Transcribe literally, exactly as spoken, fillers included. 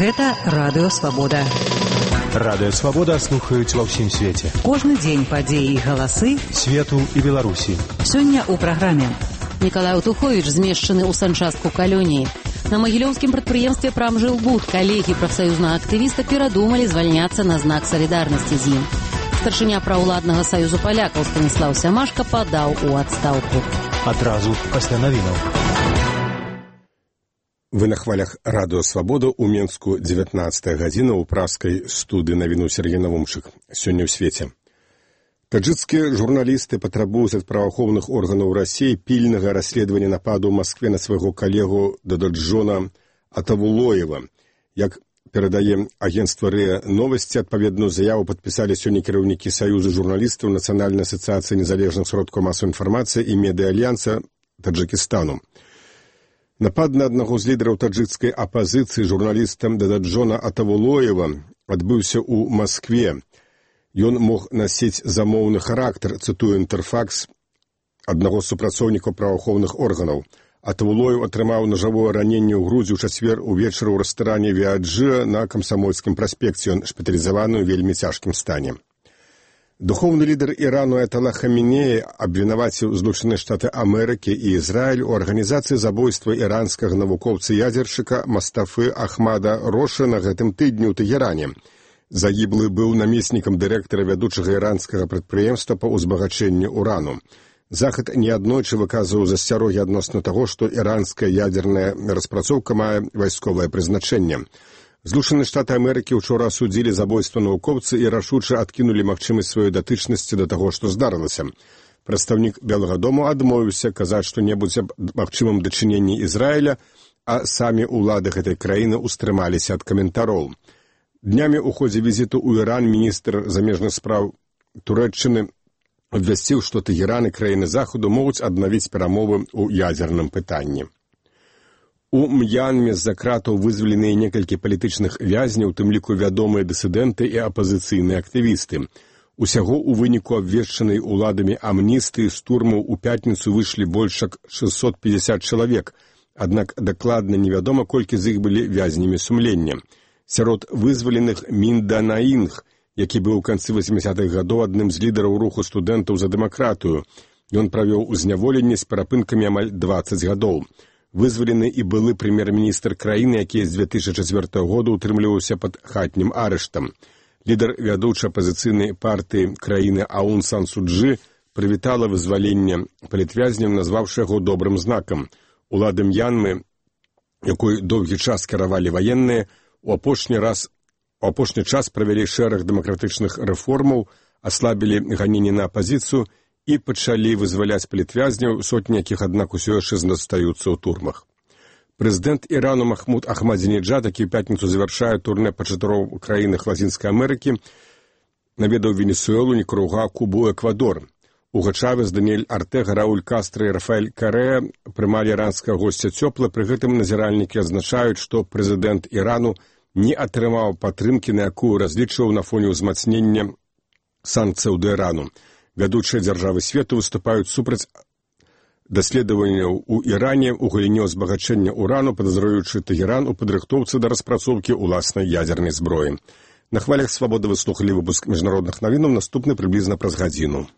Гэта Радыё Свабода. Радыё Свабода слухаюць ва ўсім свеце. Кожны дзень падзеі і галасы свету і Беларусі. Сёння ў праграме. Николай Утухович змешчаны ў санчастку калоніі. На магілёўскім прадпрыемстве «Прамжилбуд» калегі прафсаюзнага актывіста перадумалі звальняцца на знак салідарнасці з ім. Старшыня праўладнага саюзу палякаў Станіслаў Сямашка падаў у адстаўку. Адразу пасля навінаў. Вы на хвалях Радыё Свабода ў Менску дзевятнаццатая гадзіна ў праскай студыі навіну Сергей Навумчык. Сёння ў свеце. Таджикскія журналісты патрабуюць ад праваахоўных органаў Расіі пільнага расследавання нападу ў Маскве на свайго калегу Дададжона Атавулоева. Як перадае агенцтва РИА Новости, адпаведную заяву падпісалі сёння кіраўнікі Саюзу журналістаў Нацыянальнай асацыяцыі незалежных сродкаў масавай інфармацыі і медыа-альянса Таджикістану. Напад на аднаго з лідараў таджикскай апазіцыі журналістам Дададжона Атавулоева адбыўся ў Маскве. Ён мог насіць замоўны характар, цытую Інтэрфакс, аднаго з супрацоўнікаў праваахоўных органаў. Атавулоев атрымаў нажавое раненне ў грудзі ў чацвер увечары ў рэстаране Віаджыа на Камсамольскім праспекце. Ён шпіталізаваны ў вельмі цяжкім стане. Духоўны лідар Ірану Аятала Хамінеі абвінаваціў Злучаныя Штаты Амерыкі і Ізраіль у арганізацыі забойства іранскага навукоўца-ядзершчыка Мастафы Ахмада Роша на гэтым тыдні ў Тэгеране. Загіблы быў намеснікам дырэктара вядучага іранскага прадпрыемства па ўзбагачэнні урану. Захад неаднойчы выказваў засцярогі адносна таго, што іранская ядзерная распрацоўка мае вайсковае прызначэнне. Злучаныя Штаты Амерыкі ўчора асудзілі забойства навукоўца і рашуча адкінулі магчымасць сваёй датычнасці да таго, што здарылася. Прадстаўнік Белага дому адмовіўся казаць што-небудзь аб магчымым дачыненні Ізраіля, а самі ўлады гэтай краіны ўстрымаліся ад каментароў. Днямі ў ходзе візіту ў Іран міністр замежных спраў Турэччыны абвясціў, што Тэгеран і краіны Захаду могуць аднавіць перамовы ў ядзерным пытанні. У М'янме з-за кратаў вызваленыя некалькі палітычных вязняў, у тым ліку вядомыя дысідэнты і апазіцыйныя актывісты. Усяго ў выніку абвешчанай уладамі амністыі з турмаў у пятніцу выйшлі больш як шэсцьсот пятьдесят чалавек, аднак дакладна невядома, колькі з іх былі вязнямі сумлення. Сярод вызваленых Минда Наінг, які быў у канцы васьмідзясятых гадоў адным з лідараў руху студэнтаў за дэмакратыю. Ён правёў у зняволенні з перапынкамі амаль дваццаць гадоў. Вызвалены і былы прэм'ер-міністр краіны, які з дзве тысячы чацвёртага года ўтрымліваўся пад хатнім арыштам. Лідар вядучай апазіцыйнай партыі краіны Аун Сан Су Чжы прывітала вызваленне палітвязняў, назваўшы яго добрым знакам. Улады М'янмы, якой доўгі час кіравалі ваенныя, у апошні раз у апошні час правялі шэраг дэмакратычных рэформаў, аслабілі ганенні на апазіцыю і пачалі вызваляць палітвязняў, сотні якіх, аднак, усё яшчэ застаюцца ў турмах. Прэзідэнт Ірану Махмуд Ахмадзінеджад, які ў пятніцу завяршае турнэ па чатырох краінах Лацінскай Амерыкі, наведаў Венесуэлу, Нікарагуа, Кубу, Эквадор. Уга Чавес, Даніэль Артэга, Рауль Кастра і Рафаэль Карэа прымалі іранскага госця цёпла, пры гэтым назіральнікі адзначаюць, што прэзідэнт Ірану не атрымаў падтрымкі, на якую разлічваў на фоне ўзмацнення санкцыяў да Ірану. Вядучыя дзяржавы свету выступаюць супраць даследаванняў у Іране ў галіне ўзбагачэння урану, падазраючы Тэгеран у падрыхтоўцы да распрацоўкі ўласнай ядзернай зброі. На хвалях Свабоды вы слухалі выпуск міжнародных навінаў, наступны прыблізна праз гадзіну.